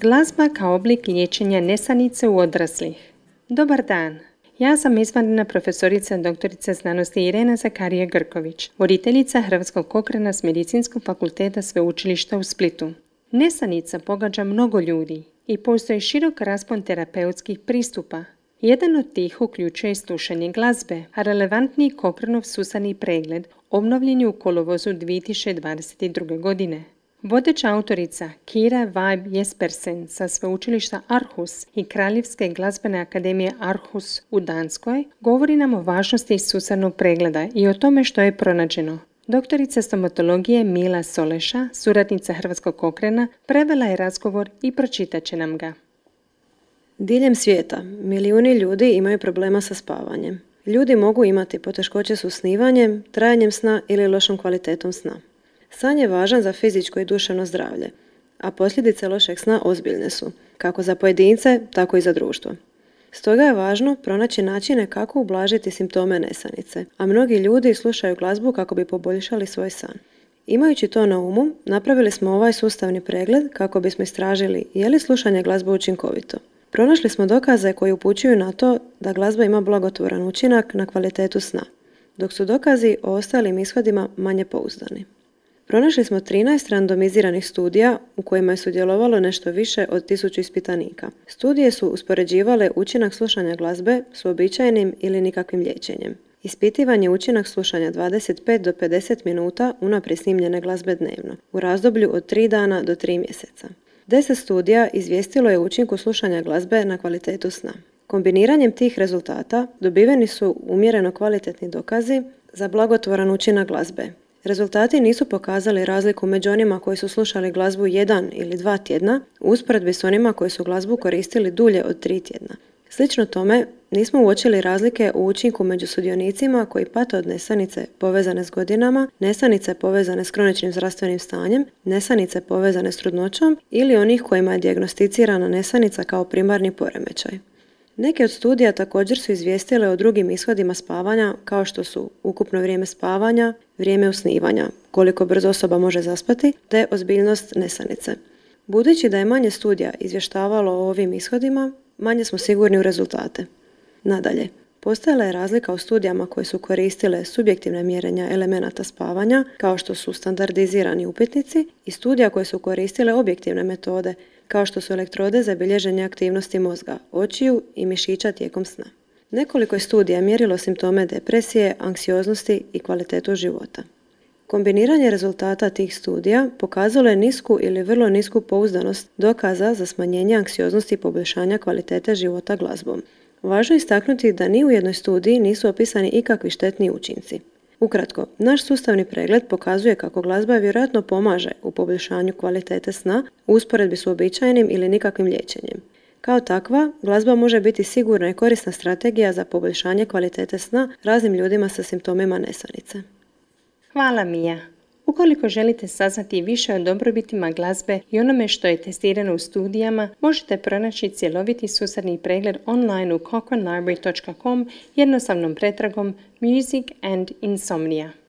Glazba kao oblik liječenja nesanice u odraslih. Dobar dan! Ja sam izvanredna profesorica doktorica znanosti Irena Zakarija Grković, voditeljica Hrvatskog kokrena s Medicinskog fakulteta Sveučilišta u Splitu. Nesanica pogađa mnogo ljudi i postoji širok raspon terapeutskih pristupa. Jedan od tih uključuje slušanje glazbe, a relevantni Kokrenov susani pregled obnovljen je u kolovozu 2022. godine. Vodeća autorica Kira Vibe Jespersen sa sveučilišta Aarhus i Kraljevske glazbene akademije Aarhus u Danskoj govori nam o važnosti susanog pregleda i o tome što je pronađeno. Doktorica stomatologije Mila Soleša, suradnica Hrvatskog kokrena, prevela je razgovor i pročitat će nam ga. Diljem svijeta milijuni ljudi imaju problema sa spavanjem. Ljudi mogu imati poteškoće s usnivanjem, trajanjem sna ili lošom kvalitetom sna. San je važan za fizičko i duševno zdravlje, a posljedice lošeg sna ozbiljne su, kako za pojedince, tako i za društvo. Stoga je važno pronaći načine kako ublažiti simptome nesanice, a mnogi ljudi slušaju glazbu kako bi poboljšali svoj san. Imajući to na umu, napravili smo ovaj sustavni pregled kako bismo istražili je li slušanje glazbe učinkovito. Pronašli smo dokaze koji upućuju na to da glazba ima blagotvoran učinak na kvalitetu sna, dok su dokazi o ostalim ishodima manje pouzdani. Pronašli smo 13 randomiziranih studija u kojima je sudjelovalo nešto više od 1000 ispitanika. Studije su uspoređivale učinak slušanja glazbe s uobičajenim ili nikakvim liječenjem. Ispitivan je učinak slušanja 25 do 50 minuta unaprijed snimljene glazbe dnevno, u razdoblju od 3 dana do 3 mjeseca. 10 studija izvijestilo je učinku slušanja glazbe na kvalitetu sna. Kombiniranjem tih rezultata dobiveni su umjereno kvalitetni dokazi za blagotvoran učinak glazbe. Rezultati nisu pokazali razliku među onima koji su slušali glazbu 1 ili 2 tjedna u usporedbi s onima koji su glazbu koristili dulje od 3 tjedna. Slično tome, nismo uočili razlike u učinku među sudionicima koji pate od nesanice povezane s godinama, nesanice povezane s kroničnim zdravstvenim stanjem, nesanice povezane s trudnoćom ili onih kojima je dijagnosticirana nesanica kao primarni poremećaj. Neke od studija također su izvijestile o drugim ishodima spavanja kao što su ukupno vrijeme spavanja, vrijeme usnivanja, koliko brzo osoba može zaspati, te ozbiljnost nesanice. Budući da je manje studija izvještavalo o ovim ishodima, manje smo sigurni u rezultate. Nadalje, postojala je razlika u studijama koje su koristile subjektivne mjerenja elemenata spavanja, kao što su standardizirani upitnici, i studija koje su koristile objektivne metode, kao što su elektrode za bilježenje aktivnosti mozga, očiju i mišića tijekom sna. Nekoliko je studija mjerilo simptome depresije, anksioznosti i kvalitetu života. Kombiniranje rezultata tih studija pokazalo je nisku ili vrlo nisku pouzdanost dokaza za smanjenje anksioznosti i poboljšanja kvalitete života glazbom. Važno je istaknuti da ni u jednoj studiji nisu opisani ikakvi štetni učinci. Ukratko, naš sustavni pregled pokazuje kako glazba vjerojatno pomaže u poboljšanju kvalitete sna u usporedbi s uobičajenim ili nikakvim liječenjem. Kao takva, glazba može biti sigurna i korisna strategija za poboljšanje kvalitete sna raznim ljudima sa simptomima nesanice. Hvala Mija. Ukoliko želite saznati više o dobrobitima glazbe i onome što je testirano u studijama, možete pronaći cjeloviti susadni pregled online u cochranelibrary.com jednostavnom pretragom Music and Insomnia.